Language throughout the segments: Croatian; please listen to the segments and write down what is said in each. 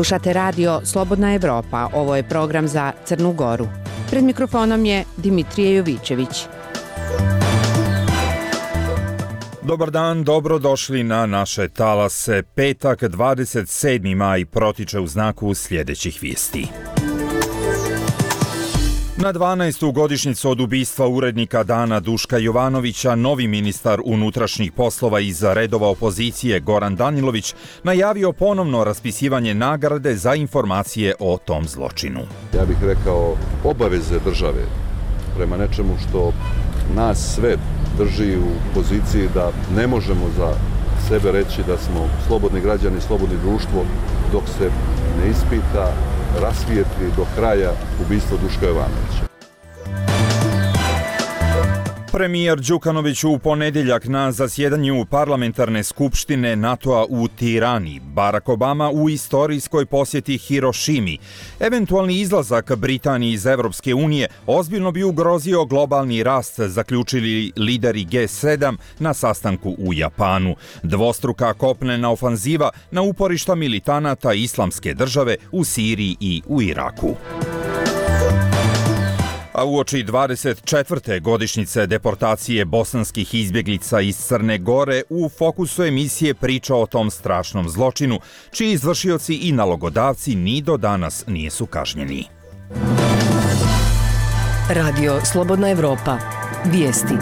Slušate radio Slobodna Evropa, ovo je program za Crnu Goru. Pred mikrofonom je Dimitrije Jovićević. Dobar dan, dobrodošli na naše talase. Petak, 27. maj protiče u znaku sljedećih vijesti. Na 12. godišnjicu od ubistva urednika Dana Duška Jovanovića, novi ministar unutrašnjih poslova iz redova opozicije Goran Danilović najavio ponovno raspisivanje nagrade za informacije o tom zločinu. Ja bih rekao obaveze države prema nečemu što nas sve drži u poziciji da ne možemo za sebe reći da smo slobodni građani, slobodni društvo dok se ne ispita, rasvijetli do kraja ubistvo Duška Jovanovića. Premijer Đukanović u ponedjeljak na zasjedanju parlamentarne skupštine NATO-a u Tirani, Barack Obama u istorijskoj posjeti Hirošimi. Eventualni izlazak Britanije iz Evropske unije ozbiljno bi ugrozio globalni rast, zaključili lideri G7 na sastanku u Japanu. Dvostruka kopnena ofanziva na uporišta militanata Islamske države u Siriji i u Iraku. A uoči 24. godišnjice deportacije bosanskih izbjeglica iz Crne Gore u fokusu emisije priča o tom strašnom zločinu, čiji izvršioci i nalogodavci ni do danas nisu kažnjeni. Radio Slobodna Evropa. Vijesti.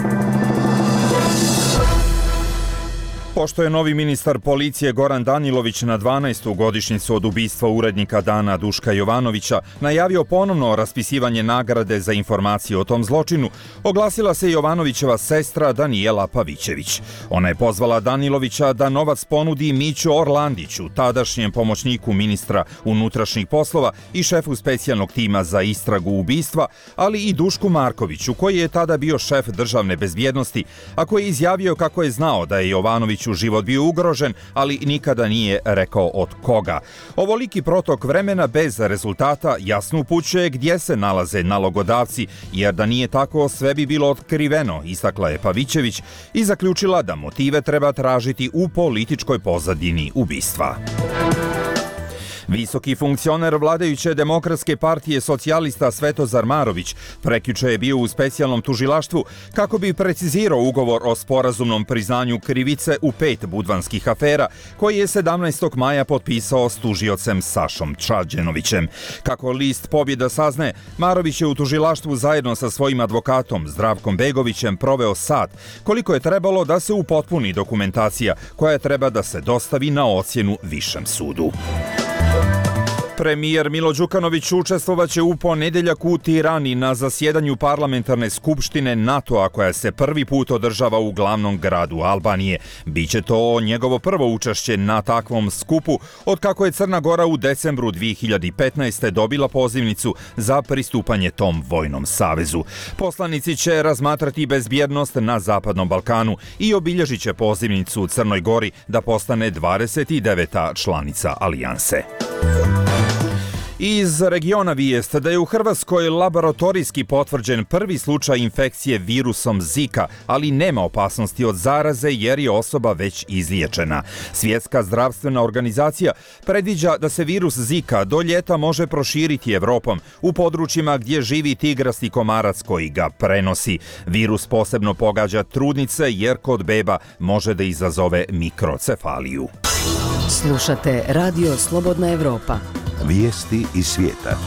Pošto je novi ministar policije Goran Danilović na 12. godišnjicu od ubistva urednika Dana Duška Jovanovića najavio ponovno raspisivanje nagrade za informacije o tom zločinu, oglasila se Jovanovićeva sestra Danijela Pavićević. Ona je pozvala Danilovića da novac ponudi Miću Orlandiću, tadašnjem pomoćniku ministra unutrašnjih poslova i šefu specijalnog tima za istragu ubistva, ali i Dušku Markoviću, koji je tada bio šef državne bezbjednosti, a koji je izjavio kako je znao da je Jovanović život bio ugrožen, ali nikada nije rekao od koga. Ovoliki protok vremena bez rezultata jasno upućuje gdje se nalaze nalogodavci, jer da nije tako sve bi bilo otkriveno, istakla je Pavićević i zaključila da motive treba tražiti u političkoj pozadini ubistva. Visoki funkcioner vladajuće Demokratske partije socijalista Svetozar Marović prekjuče je bio u specijalnom tužilaštvu kako bi precizirao ugovor o sporazumnom priznanju krivice u 5 budvanskih afera koji je 17. maja potpisao s tužiocem Sašom Čađenovićem. Kako list Pobjeda saznaje, Marović je u tužilaštvu zajedno sa svojim advokatom Zdravkom Begovićem proveo sat, koliko je trebalo da se upotpuni dokumentacija koja treba da se dostavi na ocjenu Višem sudu. Premijer Milo Đukanović učestvovaće u ponedjeljak u Tirani na zasjedanju parlamentarne skupštine NATO-a koja se prvi put održava u glavnom gradu Albanije. Biće to njegovo prvo učešće na takvom skupu od kako je Crna Gora u decembru 2015. dobila pozivnicu za pristupanje tom vojnom savezu. Poslanici će razmatrati bezbjednost na Zapadnom Balkanu i obilježit će pozivnicu Crnoj Gori da postane 29. članica alijanse. Iz regiona vijest da je u Hrvatskoj laboratorijski potvrđen prvi slučaj infekcije virusom Zika, ali nema opasnosti od zaraze jer je osoba već izliječena. Svjetska zdravstvena organizacija predviđa da se virus Zika do ljeta može proširiti Evropom u područjima gdje živi tigrasti komarac koji ga prenosi. Virus posebno pogađa trudnice jer kod beba može da izazove mikrocefaliju. Slušate Radio Slobodna Evropa. Vijesti iz svijeta.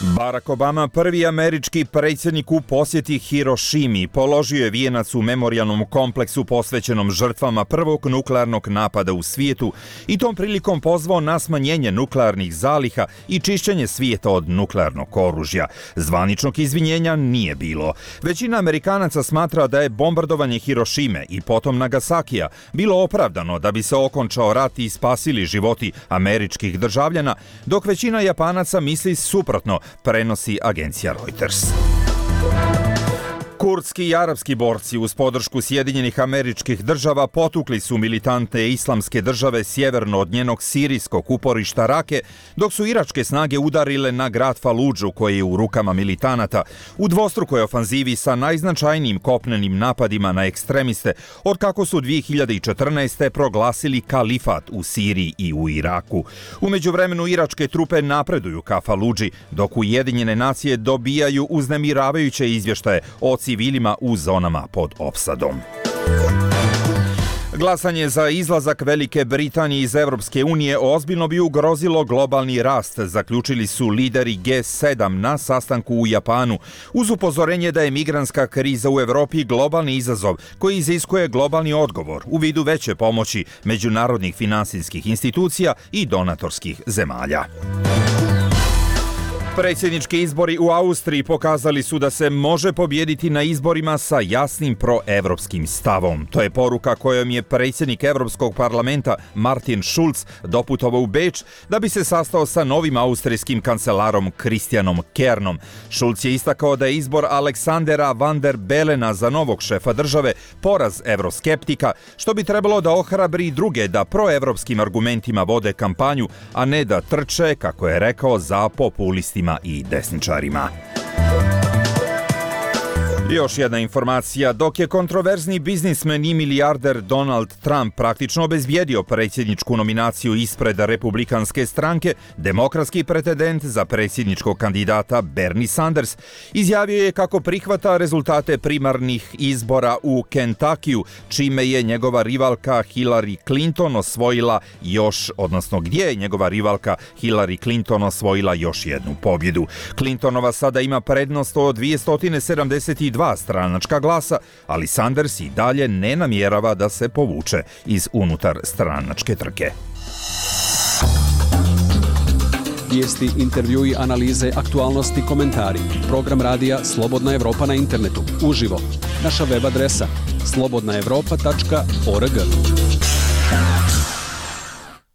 Barack Obama, prvi američki predsjednik u posjeti Hirošimi, položio je vijenac u memorijalnom kompleksu posvećenom žrtvama prvog nuklearnog napada u svijetu i tom prilikom pozvao na smanjenje nuklearnih zaliha i čišćenje svijeta od nuklearnog oružja. Zvaničnog izvinjenja nije bilo. Većina Amerikanaca smatra da je bombardovanje Hirošime i potom Nagasakija bilo opravdano da bi se okončao rat i spasili životi američkih državljana, dok većina Japanaca misli suprotno, prenosi agencija Reuters. Kurdski i arapski borci uz podršku Sjedinjenih Američkih Država potukli su militantne islamske države sjeverno od njenog sirijskog uporišta Rake, dok su iračke snage udarile na grad Faludžu koji je u rukama militanata u dvostrukoj ofanzivi sa najznačajnijim kopnenim napadima na ekstremiste od kako su 2014. proglasili kalifat u Siriji i u Iraku. U međuvremenu iračke trupe napreduju ka Faludži, dok Ujedinjene nacije dobijaju uznemiravajuće izvještaje o civilima u zonama pod opsadom. Glasanje za izlazak Velike Britanije iz Evropske unije ozbiljno bi ugrozilo globalni rast, zaključili su lideri G7 na sastanku u Japanu, uz upozorenje da je migrantska kriza u Evropi globalni izazov koji iziskuje globalni odgovor u vidu veće pomoći međunarodnih finansijskih institucija i donatorskih zemalja. Predsjednički izbori u Austriji pokazali su da se može pobijediti na izborima sa jasnim proevropskim stavom. To je poruka kojom je predsjednik Europskog parlamenta Martin Schulz doputovao u Beč da bi se sastao sa novim austrijskim kancelarom Christianom Kernom. Schulz je istakao da je izbor Aleksandera van der Belena za novog šefa države poraz evroskeptika, što bi trebalo da ohrabri druge da proevropskim argumentima vode kampanju, a ne da trče, kako je rekao, za populistima i desničarima. Još jedna informacija, dok je kontroverzni biznismen i milijarder Donald Trump praktično obezbijedio predsjedničku nominaciju ispred republikanske stranke, demokratski pretendent za predsjedničkog kandidata Bernie Sanders izjavio je kako prihvata rezultate primarnih izbora u Kentakiju, čime je njegova rivalka Hillary Clinton osvojila gdje je njegova rivalka Hillary Clinton osvojila još jednu pobjedu. Clintonova sada ima prednost od 272 stranačka glasa, ali Sanders i dalje ne namjerava da se povuče iz unutar stranačke trke. Vijesti, intervjui, analize, aktualnosti, komentari. Program radija Slobodna Evropa na internetu. Uživo. Naša web adresa slobodnaevropa.org.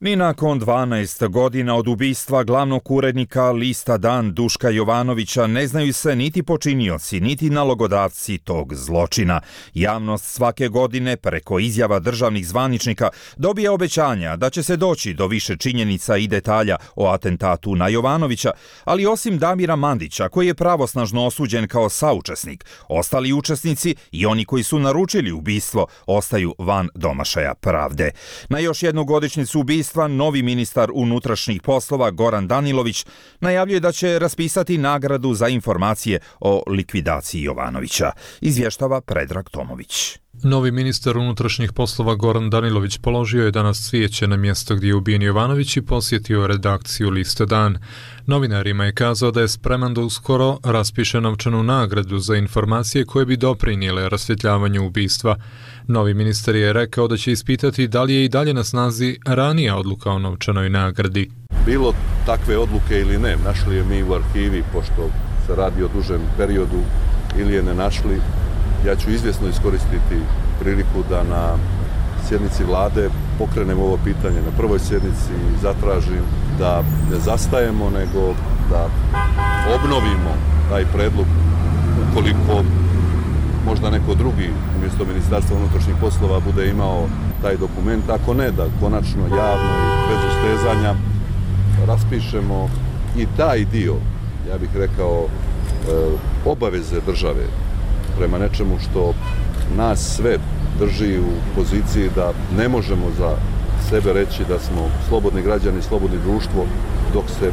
Ni nakon 12 godina od ubistva glavnog urednika lista Dan Duška Jovanovića ne znaju se niti počinioci, niti nalogodavci tog zločina. Javnost svake godine preko izjava državnih zvaničnika dobija obećanja da će se doći do više činjenica i detalja o atentatu na Jovanovića, ali osim Damira Mandića, koji je pravosnažno osuđen kao saučesnik, ostali učesnici i oni koji su naručili ubistvo ostaju van domašaja pravde. Na još jednu godišnjicu ubistva novi ministar unutrašnjih poslova Goran Danilović najavljuje da će raspisati nagradu za informacije o likvidaciji Jovanovića. Izvještava Predrag Tomović. Novi ministar unutrašnjih poslova Goran Danilović položio je danas cvijeće na mjesto gdje je ubijen Jovanović i posjetio redakciju lista Dan. Novinarima je kazao da je spreman da uskoro raspiše novčanu nagradu za informacije koje bi doprinijele rasvjetljavanju ubistva. Novi ministar je rekao da će ispitati da li je i dalje na snazi ranija odluka o novčanoj nagradi. Bilo takve odluke ili ne, našli je mi u arhivi, pošto se radi o dužem periodu, ili je ne našli. Ja ću izvjesno iskoristiti priliku da na sjednici vlade pokrenem ovo pitanje na prvoj sjednici i zatražim da ne zastajemo, nego da obnovimo taj predlog ukoliko možda neko drugi umjesto Ministarstva unutrašnjih poslova bude imao taj dokument. Ako ne, da konačno javno i bez ustezanja raspišemo i taj dio, ja bih rekao, obaveze države prema nečemu što nas sve drži u poziciji da ne možemo za sebe reći da smo slobodni građani, slobodni društvo, dok se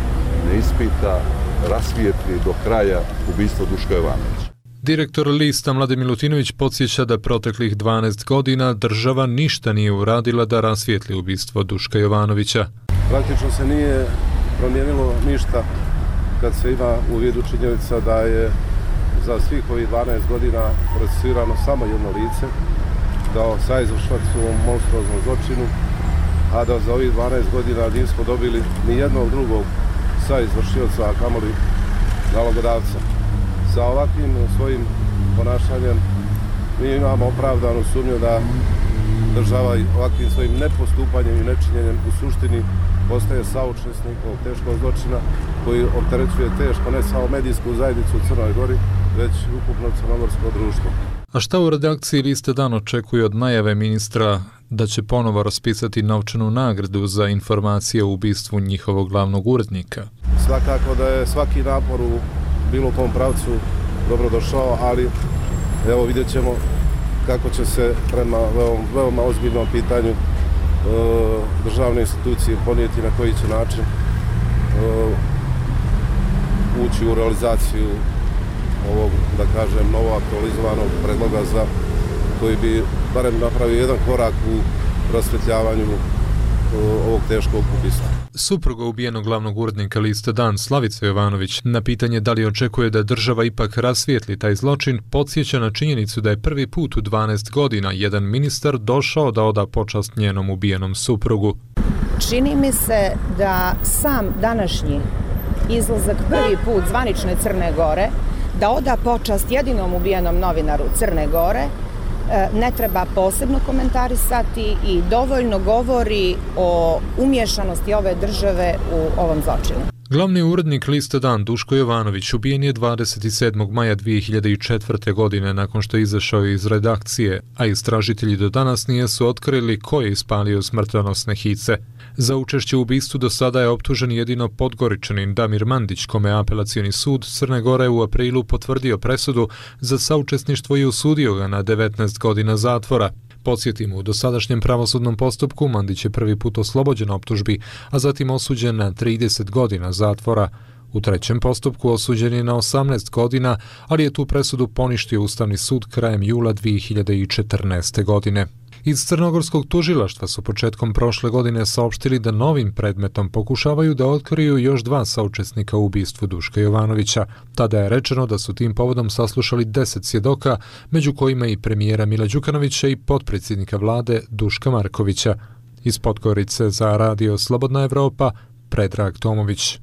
ne ispita, rasvijetli do kraja ubistvo Duška Jovanovića. Direktor lista Mladen Milutinović podsjeća da proteklih 12 godina država ništa nije uradila da rasvijetli ubistvo Duška Jovanovića. Praktično se nije promijenilo ništa kad se ima u vidu činjenica da je za svih ovih 12 godina procesuirano samo jedno lice, da saizvršilac u ovom monstruoznom zločinu, a da za ovih 12 godina nismo dobili ni jednog drugog saizvršioca, a kamoli nalogodavca. Sa ovakvim svojim ponašanjem mi imamo opravdanu sumnju da država ovakvim svojim nepostupanjem i nečinjenjem u suštini postaje saučesnik ovog teškog zločina koji opterećuje teško ne samo medijsku zajednicu u Crnoj Gori, već ukupno crnogorsko društvo. A šta u redakciji Liste Dan očekuje od najave ministra da će ponovo raspisati novčanu nagradu za informacije o ubistvu njihovog glavnog urednika? Svakako da je svaki napor u bilo kom pravcu dobrodošao, ali evo vidjet ćemo kako će se prema veoma ozbiljnom pitanju državne institucije ponijeti, na koji će način ući u realizaciju ovog, da kažem, novo aktualizovanog predloga za koji bi barem napravio jedan korak u rasvetljavanju ovog teškog ubistva. Supruga ubijenog glavnog urednika Liste Dan, Slavica Jovanović, na pitanje da li očekuje da država ipak rasvijetli taj zločin, podsjeća na činjenicu da je prvi put u 12 godina jedan ministar došao da oda počast njenom ubijenom suprugu. Čini mi se da sam današnji izlazak prvi put zvanične Crne Gore da oda počast jedinom ubijenom novinaru Crne Gore ne treba posebno komentarisati i dovoljno govori o umješanosti ove države u ovom zločinu. Glavni urednik Liste Dan Duško Jovanović ubijen je 27. maja 2004. godine nakon što je izašao iz redakcije, a istražitelji do danas nisu otkrili ko je ispalio smrtonosne hice. Za učešće u ubistvu do sada je optužen jedino Podgoričanin Damir Mandić, kome apelacioni sud Crne Gore u aprilu potvrdio presudu za saučesništvo i osudio ga na 19 godina zatvora. Podsjetimo, u dosadašnjem pravosudnom postupku Mandić je prvi put oslobođen optužbi, a zatim osuđen na 30 godina zatvora. U trećem postupku osuđen je na 18 godina, ali je tu presudu poništio Ustavni sud krajem jula 2014. godine. Iz crnogorskog tužilaštva su početkom prošle godine saopštili da novim predmetom pokušavaju da otkriju još 2 saučesnika u ubistvu Duška Jovanovića. Tada je rečeno da su tim povodom saslušali 10 svjedoka, među kojima i premijera Mila Đukanovića i potpredsjednika vlade Duška Markovića. Iz Podgorice za Radio Slobodna Evropa, Predrag Tomović.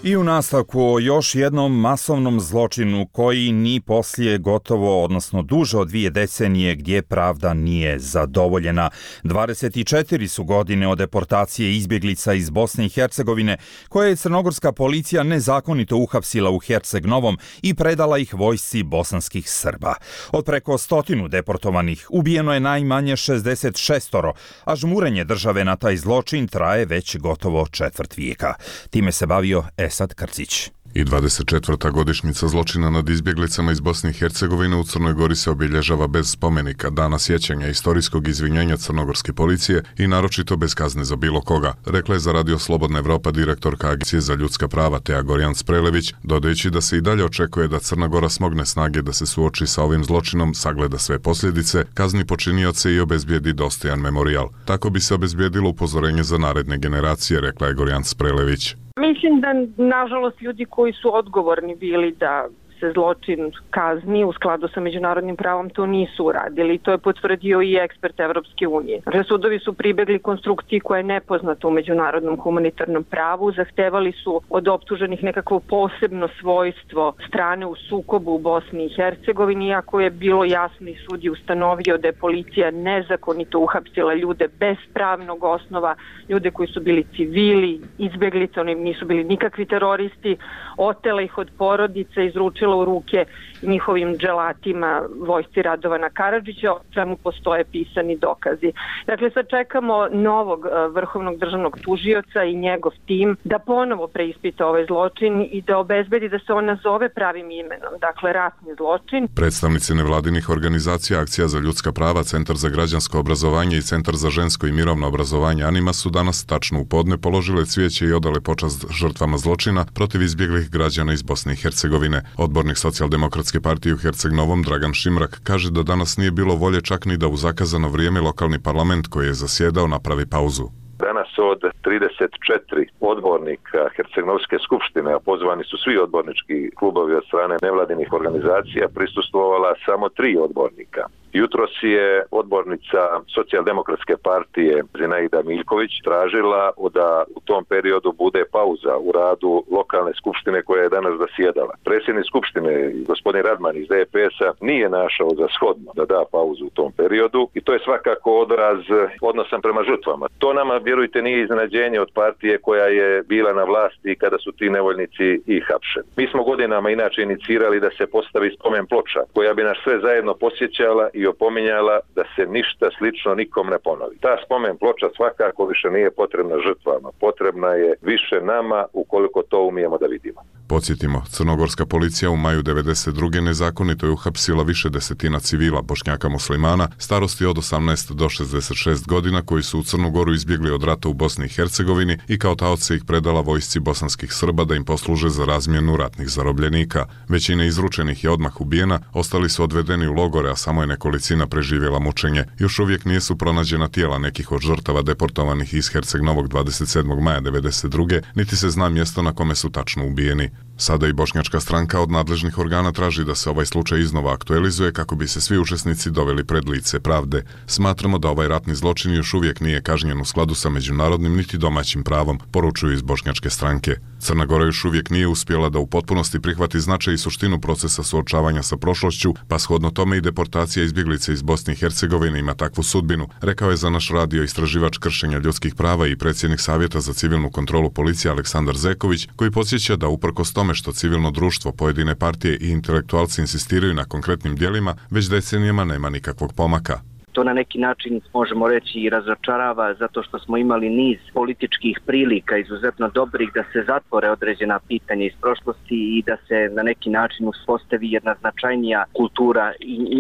I u nastavku o još jednom masovnom zločinu koji ni poslije gotovo, odnosno duže od 2 decenije gdje pravda nije zadovoljena. 24 su godine od deportacije izbjeglica iz Bosne i Hercegovine koje je crnogorska policija nezakonito uhapsila u Herceg Novom i predala ih vojsci bosanskih Srba. Od preko 100 deportovanih ubijeno je najmanje 66, a žmurenje države na taj zločin traje već gotovo četvrt vijeka. Time se bavio Esad Krcić. I 24. godišnjica zločina nad izbjeglicama iz Bosne i Hercegovine u Crnoj Gori se obilježava bez spomenika, dana sjećanja istorijskog izvinjenja crnogorske policije i naročito bez kazne za bilo koga, rekla je za Radio Slobodna Evropa direktorka Agencije za ljudska prava Teja Gorjan-Sprelević, dodajući da se i dalje očekuje da Crna Gora smogne snage da se suoči sa ovim zločinom, sagleda sve posljedice, kazni počinioce i obezbijedi dostojan memorijal. Tako bi se obezbijedilo upozorenje za naredne generacije, rekla je Gorjan-Sprelević. Mislim da, nažalost, ljudi koji su odgovorni bili da se zločin kazni u skladu sa međunarodnim pravom to nisu uradili. To je potvrdio i ekspert Evropske unije. Sudovi su pribegli konstrukciji koja je nepoznata u međunarodnom humanitarnom pravu. Zahtevali su od optuženih nekakvo posebno svojstvo strane u sukobu u Bosni i Hercegovini, iako je bilo jasno i sud je ustanovio da je policija nezakonito uhapsila ljude bez pravnog osnova, ljude koji su bili civili, izbjeglice, oni nisu bili nikakvi teroristi, otela ih od porodice, izručila u ruke njihovim dželatima vojsci Radovana Karadžića, o čemu postoje pisani dokazi. Dakle, sad čekamo novog vrhovnog državnog tužioca i njegov tim da ponovo preispita ovaj zločin i da obezbedi da se on nazove pravim imenom, dakle ratni zločin. Predstavnici nevladinih organizacija, Akcija za ljudska prava, Centar za građansko obrazovanje i Centar za žensko i mirovno obrazovanje Anima su danas tačno u podne položile cvijeće i odale počast žrtvama zločina protiv izbjeglih građana iz Bosne i Hercegovine. Odbornik Socijaldemokratske partije u Herceg Novom Dragan Šimrak kaže da danas nije bilo volje čak ni da u zakazano vrijeme lokalni parlament koji je zasjedao napravi pauzu. Danas od 34 odbornika Hercegnovske skupštine, a pozvani su svi odbornički klubovi od strane nevladinih organizacija, prisustvovala samo 3 odbornika. Jutros je odbornica Socijaldemokratske partije Zinaida Miljković tražila da u tom periodu bude pauza u radu lokalne skupštine koja je danas zasjedala. Predsjednik skupštine, gospodin Radman iz DPS-a, nije našao za shodno da da pauzu u tom periodu i to je svakako odraz odnosa prema žrtvama. To nama, vjerujte, nije iznenađenje od partije koja je bila na vlasti kada su ti nevoljnici i hapšeni. Mi smo godinama inače inicirali da se postavi spomen ploča koja bi nas sve zajedno posjećala i opominjala da se ništa slično nikom ne ponovi. Ta spomen ploča svakako više nije potrebna žrtvama, potrebna je više nama ukoliko to umijemo da vidimo. Podsjetimo, crnogorska policija u maju 1992. nezakonito je uhapsila više desetina civila Bošnjaka muslimana starosti od 18 do 66 godina koji su u Crnu Goru izbjegli od rata u Bosni i Hercegovini i kao taoce ih predala vojsci bosanskih Srba da im posluže za razmjenu ratnih zarobljenika. Većina izručenih je odmah ubijena, ostali su odvedeni u logore, a samo je nekolicina preživjela mučenje. Još uvijek nisu pronađena tijela nekih od žrtava deportovanih iz Herceg Novog 27. maja 1992. niti se zna mjesto na kome su tačno ubijeni. Sada i bošnjačka stranka od nadležnih organa traži da se ovaj slučaj iznova aktualizuje kako bi se svi učesnici doveli pred lice pravde. Smatramo da ovaj ratni zločin još uvijek nije kažnjen u skladu sa međunarodnim niti domaćim pravom, poručuju iz bošnjačke stranke. Crna Gora još uvijek nije uspjela da u potpunosti prihvati značaj i suštinu procesa suočavanja sa prošlošću, pa shodno tome i deportacija izbjeglica iz Bosne i Hercegovine ima takvu sudbinu, rekao je za naš radio istraživač kršenja ljudskih prava i predsjednik Savjeta za civilnu kontrolu policije Aleksandar Zeković, koji podsjeća da uprkos tome što civilno društvo, pojedine partije i intelektualci insistiraju na konkretnim djelima, već decenijama nema nikakvog pomaka. To na neki način možemo reći i razočarava zato što smo imali niz političkih prilika izuzetno dobrih da se zatvore određena pitanja iz prošlosti i da se na neki način uspostavi jedna značajnija kultura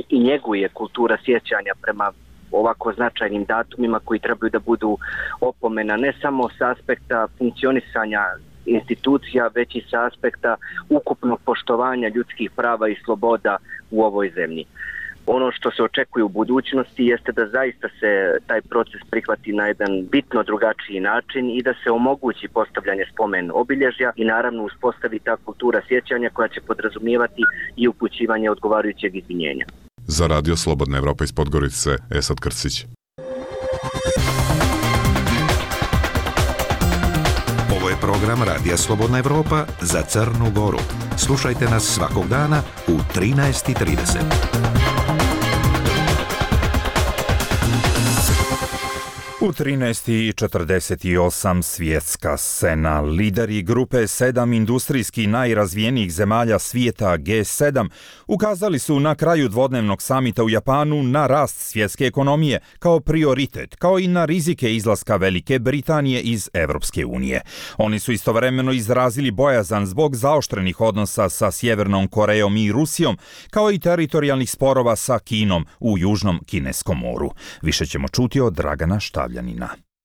i njeguje kultura sjećanja prema ovako značajnim datumima koji trebaju da budu opomena ne samo s aspekta funkcionisanja institucija, već i sa aspekta ukupnog poštovanja ljudskih prava i sloboda u ovoj zemlji. Ono što se očekuje u budućnosti jeste da zaista se taj proces prihvati na jedan bitno drugačiji način i da se omogući postavljanje spomen obilježja i naravno uspostavi ta kultura sjećanja koja će podrazumijevati i upućivanje odgovarajućeg izvinjenja. Za radio Slobodna Evropa iz Podgorice, Esad Krsić. Ovo je program Radija Slobodna Evropa za Crnu Goru. Slušajte nas svakog dana u 13:30. U 13:48 svjetska scena. Lideri grupe 7 industrijski najrazvijenijih zemalja svijeta G7 ukazali su na kraju dvodnevnog samita u Japanu na rast svjetske ekonomije kao prioritet, kao i na rizike izlaska Velike Britanije iz Europske unije. Oni su istovremeno izrazili bojazan zbog zaoštrenih odnosa sa Sjevernom Korejom i Rusijom, kao i teritorijalnih sporova sa Kinom u Južnom Kineskom moru. Više ćemo čuti od Dragana Štavljanina.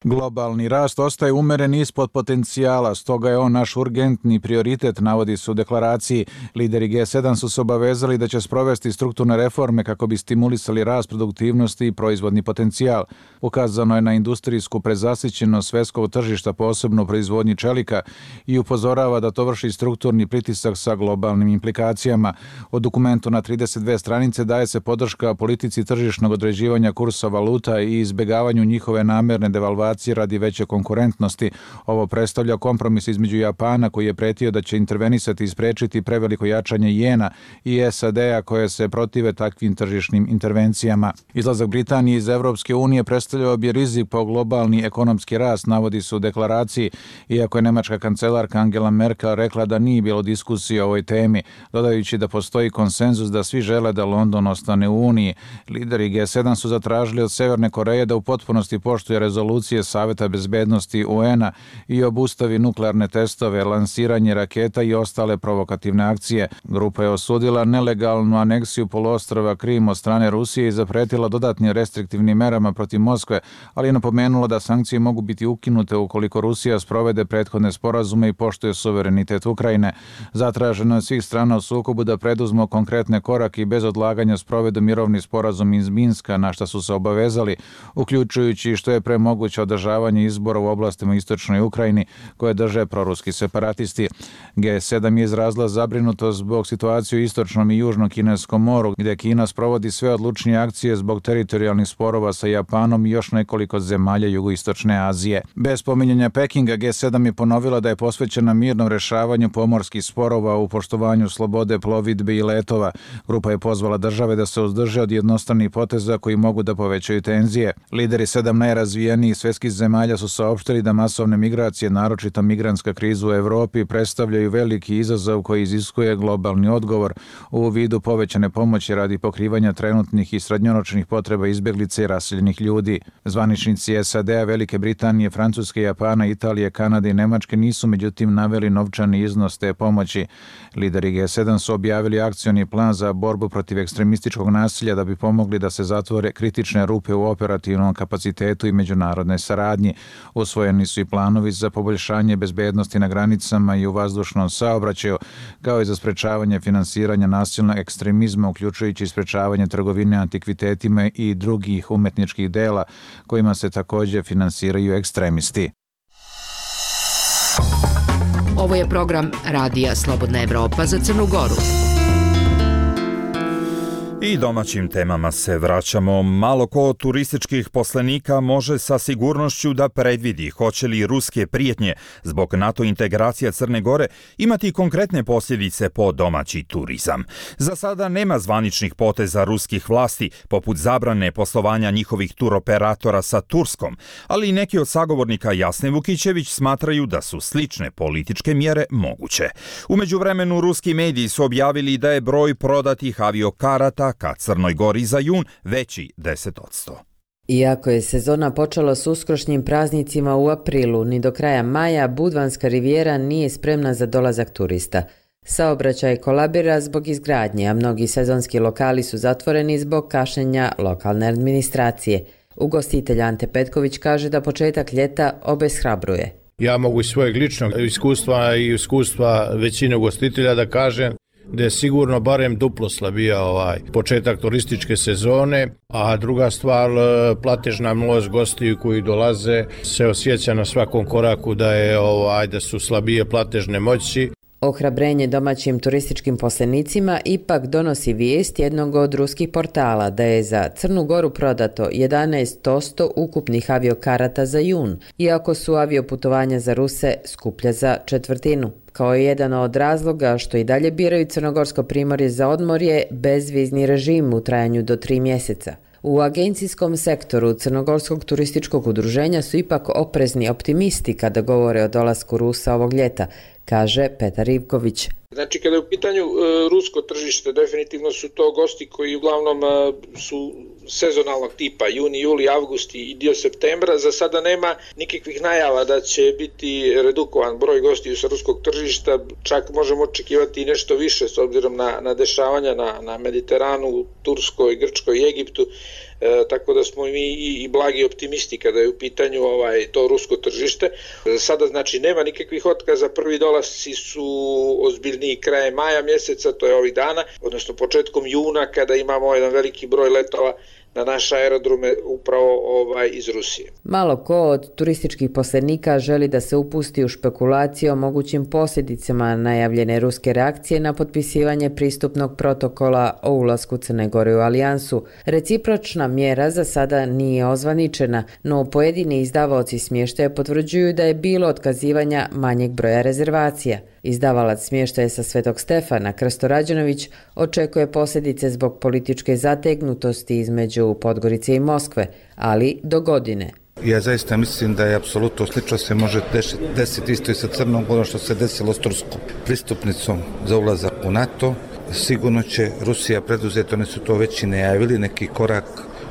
Globalni rast ostaje umeren ispod potencijala, stoga je on naš urgentni prioritet, navodi se u deklaraciji. Lideri G7 su se obavezali da će sprovesti strukturne reforme kako bi stimulisali rast produktivnosti i proizvodni potencijal. Ukazano je na industrijsku prezasićenost svjetskog tržišta, posebno u proizvodnji čelika, i upozorava da to vrši strukturni pritisak sa globalnim implikacijama. U dokumentu na 32 stranice daje se podrška politici tržišnog određivanja kursa valuta i izbjegavanju njihove namjerne devalvacije radi veće konkurentnosti. Ovo predstavlja kompromis između Japana, koji je pretio da će intervenisati i spriječiti preveliko jačanje jena, i SAD-a koje se protive takvim tržišnim intervencijama. Izlazak Britanije iz Evropske unije predstavljao bi rizik po globalni ekonomski rast, navodi se u deklaraciji, iako je nemačka kancelarka Angela Merkel rekla da nije bilo diskusije o ovoj temi, dodajući da postoji konsenzus da svi žele da London ostane u Uniji. Lideri G7 su zatražili od Severne Koreje da u potpunosti poštuje rezolucije Saveta bezbednosti UN-a i obustavi nuklearne testove, lansiranje raketa i ostale provokativne akcije. Grupa je osudila nelegalnu aneksiju poluostrva Krim od strane Rusije i zapretila dodatnim restriktivnim merama protiv Moskve, ali je napomenula da sankcije mogu biti ukinute ukoliko Rusija sprovede prethodne sporazume i poštuje suverenitet Ukrajine. Zatraženo je svih strana u sukobu da preduzmu konkretne korake i bez odlaganja sprovedu mirovni sporazum iz Minska, na što su se obavezali, uključujući što je pre moguće održavanje izbora u oblastima istočnoj Ukrajini koje drže proruski separatisti. G7 je izrazila zabrinutost zbog situacije u istočnom i južnom Kineskom moru, gdje Kina sprovodi sve odlučnije akcije zbog teritorijalnih sporova sa Japanom i još nekoliko zemalja jugoistočne Azije. Bez pominjanja Pekinga, G7 je ponovila da je posvećena mirnom rešavanju pomorskih sporova u poštovanju slobode plovidbe i letova. Grupa je pozvala države da se uzdrže od jednostranih poteza koji mogu da povećaju tenzije. Lideri 7 najrazvijenijih svjetskih zemalja su saopštili da masovne migracije, naročito migrantska kriza u Evropi, predstavljaju veliki izazov koji iziskuje globalni odgovor u vidu povećane pomoći radi pokrivanja trenutnih i srednjoročnih potreba izbjeglica i raseljenih ljudi. Zvaničnici SAD-a, Velike Britanije, Francuske, Japana, Italije, Kanade i Nemačke nisu međutim naveli novčani iznos te pomoći. Lideri G7 su objavili akcioni plan za borbu protiv ekstremističkog nasilja da bi pomogli da se zatvore kritične rupe u operativnom kapacitetu i međunarodnoj saradnji. Usvojeni su i planovi za poboljšanje bezbednosti na granicama i u vazdušnom saobraćaju, kao i za sprečavanje finansiranja nasilnog ekstremizma, uključujući sprečavanje trgovine antikvitetima i drugih umetničkih dela kojima se također finansiraju ekstremisti. Ovo je program Radija Slobodna Evropa za Crnu Goru. I domaćim temama se vraćamo. Malo ko od turističkih poslenika može sa sigurnošću da predvidi hoće li ruske prijetnje zbog NATO integracija Crne Gore imati konkretne posljedice po domaći turizam. Za sada nema zvaničnih poteza ruskih vlasti, poput zabrane poslovanja njihovih turoperatora sa Turskom, ali neki od sagovornika Jasne Vukićević smatraju da su slične političke mjere moguće. U međuvremenu ruski mediji su objavili da je broj prodatih aviokarata ka Crnoj Gori za jun veći 10%. Iako je sezona počela s uskršnjim praznicima u aprilu, ni do kraja maja Budvanska rivijera nije spremna za dolazak turista. Saobraćaj kolabira zbog izgradnje, a mnogi sezonski lokali su zatvoreni zbog kašnjenja lokalne administracije. Ugostitelj Ante Petković kaže da početak ljeta obeshrabruje. Ja mogu iz svojeg ličnog iskustva i iskustva većine ugostitelja da kažem da je sigurno barem duplo slabija početak turističke sezone, a druga stvar, platežna moć gostiju koji dolaze se osjeća na svakom koraku da su slabije platežne moći. Ohrabrenje domaćim turističkim poslenicima ipak donosi vijest jednog od ruskih portala da je za Crnu Goru prodato 11% ukupnih aviokarata za jun, iako su avioputovanja za Ruse skuplja za četvrtinu. Kao jedan od razloga što i dalje biraju Crnogorsko primorje za odmorje bezvizni režim u trajanju do 3 mjeseca. U agencijskom sektoru Crnogorskog turističkog udruženja su ipak oprezni optimisti kada govore o dolasku Rusa ovog ljeta, kaže Petar Ivković. Znači, kada je u pitanju rusko tržište, definitivno su to gosti koji uglavnom su sezonalnog tipa, juni, juli, avgust i dio septembra. Za sada nema nikakvih najava da će biti redukovan broj gostiju sa ruskog tržišta, čak možemo očekivati i nešto više s obzirom na dešavanja na Mediteranu, Turskoj, Grčkoj i Egiptu. Tako da smo mi i blagi optimisti kada je u pitanju to rusko tržište. Sada znači nema nikakvih otkaza, prvi dolasci su ozbiljniji krajem maja mjeseca, to je ovih dana, odnosno početkom juna kada imamo jedan veliki broj letova na naše aerodrome upravo iz Rusije. Malo ko od turističkih posrednika želi da se upusti u špekulacije o mogućim posljedicama najavljene ruske reakcije na potpisivanje pristupnog protokola o ulasku Crne Gore u alijansu. Recipročna mjera za sada nije ozvaničena, no pojedini izdavaoci smještaja potvrđuju da je bilo otkazivanja manjeg broja rezervacija. Izdavalac smještaja sa Svetog Stefana, Krsto Rađenović, očekuje posljedice zbog političke zategnutosti između Podgorice i Moskve, ali do godine. Ja zaista mislim da je apsolutno slično se može desiti isto i sa Crnom Gorom što se desilo s turskom pristupnicom za ulazak u NATO. Sigurno će Rusija preduzeti, oni su to već i najavili, neki korak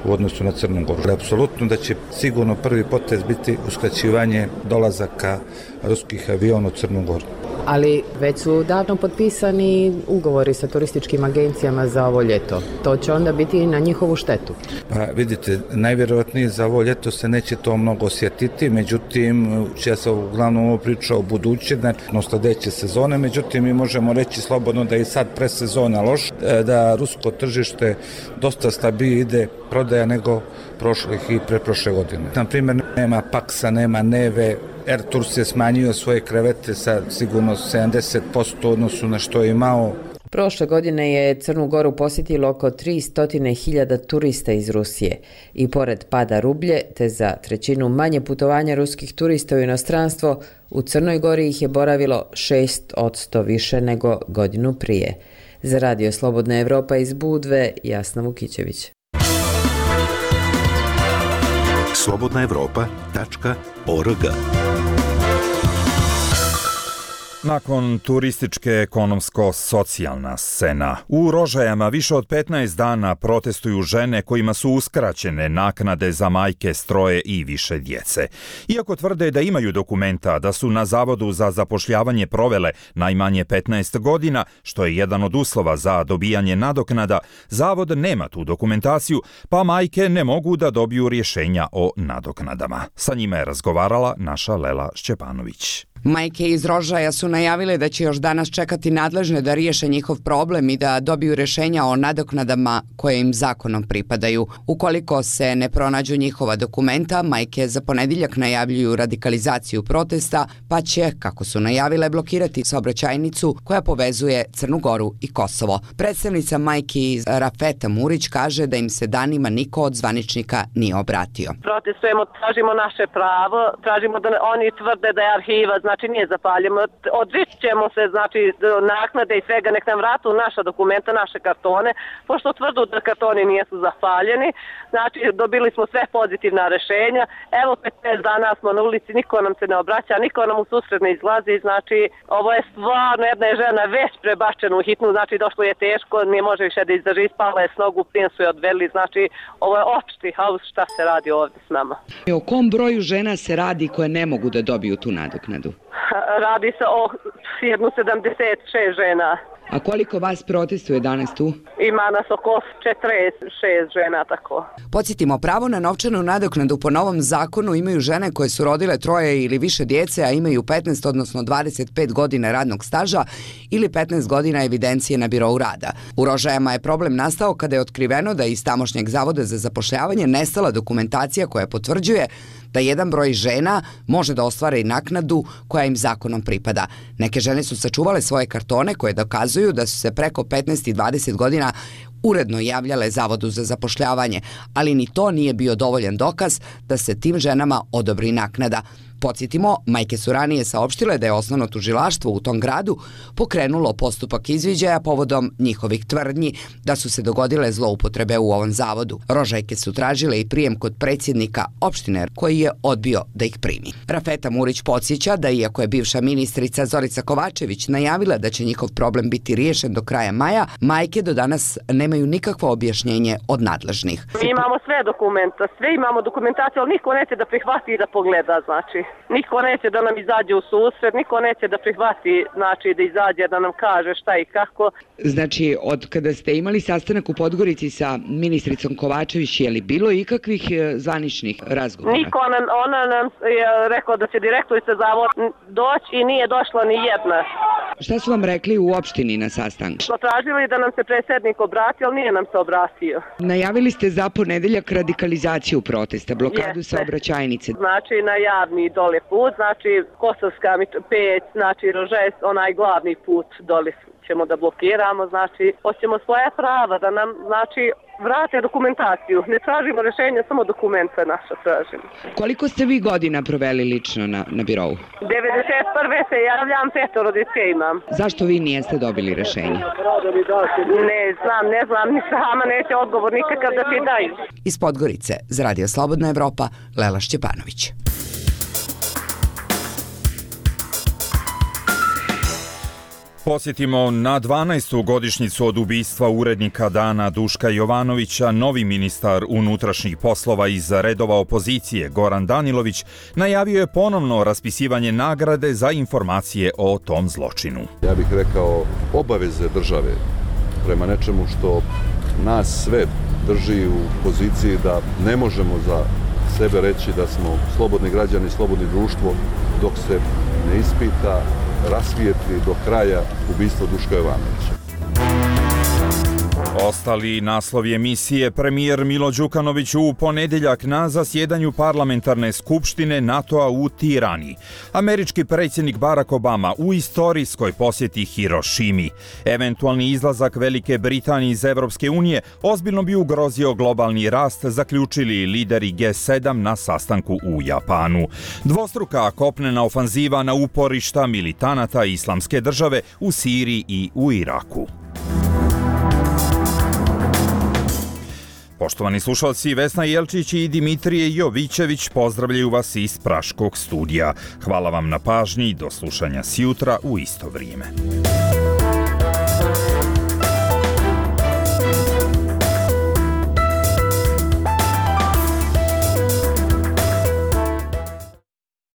u odnosu na Crnu Goru. Apsolutno da će sigurno prvi potez biti uskraćivanje dolazaka ruskih aviona u Crnu Goru. Ali već su davno potpisani ugovori sa turističkim agencijama za ovo ljeto. To će onda biti i na njihovu štetu. Pa vidite, najvjerojatnije za ovo ljeto se neće to mnogo osjetiti, međutim, ja sam uglavnom ovo pričao o buduće, odnosno sljedeće sezone, međutim, mi možemo reći slobodno da je sad presezona loš, da rusko tržište dosta stabilnije ide prodaja nego prošlih i preprošle godine. Na primjer, nema Paksa, nema Neve, Air Tours je smanjio svoje krevete sa sigurno 70% odnosu na što je imao. Prošle godine je Crnu Goru posjetilo oko 300.000 turista iz Rusije i pored pada rublje te za trećinu manje putovanja ruskih turista u inostranstvo, u Crnoj Gori ih je boravilo 6% više nego godinu prije. Za Radio Slobodna Evropa iz Budve, Jasna Vukićević. slobodnaevropa.org. Nakon turističke ekonomsko-socijalna scena, u Rožajama više od 15 dana protestuju žene kojima su uskraćene naknade za majke s 3 i više djece. Iako tvrde da imaju dokumenta da su na Zavodu za zapošljavanje provele najmanje 15 godina, što je jedan od uslova za dobijanje nadoknada, Zavod nema tu dokumentaciju, pa majke ne mogu da dobiju rješenja o nadoknadama. Sa njima je razgovarala naša Lela Šćepanović. Majke iz Rožaja su najavile da će još danas čekati nadležne da riješe njihov problem i da dobiju rješenja o nadoknadama koje im zakonom pripadaju. Ukoliko se ne pronađu njihova dokumenta, majke za ponedjeljak najavljuju radikalizaciju protesta, pa će, kako su najavile, blokirati saobraćajnicu koja povezuje Crnu Goru i Kosovo. Predstavnica majki Rafeta Murić kaže da im se danima niko od zvaničnika nije obratio. Protestujemo, tražimo naše pravo, tražimo da oni tvrde da je arhiva, znači nije zapaljeno. Odričit ćemo se, znači, naknade i svega, nek nam vratu naša dokumenta, naše kartone, pošto tvrdu da kartoni nisu zapaljeni. Znači, dobili smo sve pozitivna rješenja. Evo, 15 dana smo na ulici, niko nam se ne obraća, niko nam u susret ne izlazi. Znači, ovo je stvarno, jedna je žena već prebačena u hitnu, znači, došlo je teško, nije može više da izdrži, spala je s nogu, plin su je odveli, znači, ovo je opšti haos, šta se radi ovdje s nama. O kom broju žena se radi koje ne mogu da dobiju tu nadoknadu? Radi se o 76 žena. A koliko vas protestuje danas tu? Ima nas oko 46 žena, tako. Podsjetimo, pravo na novčanu nadoknadu po novom zakonu imaju žene koje su rodile 3 ili više djece, a imaju 15, odnosno 25 godina radnog staža ili 15 godina evidencije na birou rada. U Rožajama je problem nastao kada je otkriveno da je iz tamošnjeg Zavoda za zapošljavanje nestala dokumentacija koja potvrđuje da jedan broj žena može da ostvare i naknadu koja im zakonom pripada. Neke žene su sačuvale svoje kartone koje dokazuju da su se preko 15 i 20 godina uredno javljale Zavodu za zapošljavanje, ali ni to nije bio dovoljan dokaz da se tim ženama odobri naknada. Podsjetimo, majke su ranije saopštile da je osnovno tužilaštvo u tom gradu pokrenulo postupak izviđaja povodom njihovih tvrdnji da su se dogodile zloupotrebe u ovom zavodu. Rožajke su tražile i prijem kod predsjednika opštine koji je odbio da ih primi. Rafeta Murić podsjeća da iako je bivša ministrica Zorica Kovačević najavila da će njihov problem biti riješen do kraja maja, majke do danas nemaju nikakvo objašnjenje od nadležnih. Mi imamo sve dokumenta, sve imamo dokumentaciju, ali niko neće da prihvati i da pogleda, znači. Niko neće da nam izađe u susret, niko neće da prihvati, znači da izađe da nam kaže šta i kako. Znači, od kada ste imali sastanak u Podgorici sa ministricom Kovačević, je li bilo ikakvih zvaničnih razgovora? Niko ona nam je rekla da će direktorica Zavod doći i nije došla ni jedna. Šta su vam rekli u opštini na sastanku? Smo tražili da nam se predsjednik obrati, ali nije nam se obratio. Najavili ste za ponedeljak radikalizaciju protesta, blokadu saobraćajnice. Znači na javni dole put, znači Kosovska 5, znači Rožaje, onaj glavni put dole ćemo da blokiramo, znači hoćemo svoja prava da nam, znači, vrate dokumentaciju. Ne tražimo rješenje, samo dokumenta naša tražimo. Koliko ste vi godina proveli lično na birovu? 91. se javljam, 5 djece imam. Zašto vi nijeste dobili rješenje? Ne znam, ni sama neće odgovor nikakav da ti daju. Iz Podgorice, za Radio Slobodna Evropa, Lela Šćepanović. Posjetimo na 12. godišnjicu od ubistva urednika Dana Duška Jovanovića. Novi ministar unutrašnjih poslova iz redova opozicije Goran Danilović najavio je ponovno raspisivanje nagrade za informacije o tom zločinu. Ja bih rekao obaveze države prema nečemu što nas sve drži u poziciji da ne možemo za sebe reći da smo slobodni građani, slobodni društvo dok se ne ispita, rasvijetli do kraja ubistvo Duška Jovanovića. Ostali naslovi emisije: premijer Milo Đukanović u ponedeljak na zasjedanju parlamentarne skupštine NATO-a u Tirani. Američki predsjednik Barack Obama u istorijskoj posjeti Hirošimi. Eventualni izlazak Velike Britanije iz Evropske unije ozbiljno bi ugrozio globalni rast, zaključili lideri G7 na sastanku u Japanu. Dvostruka kopnena ofanziva na uporišta militanata Islamske države u Siriji i u Iraku. Poštovani slušalci, Vesna Jelčić i Dimitrije Jovićević pozdravljaju vas iz Praškog studija. Hvala vam na pažnji i do slušanja sjutra u isto vrijeme.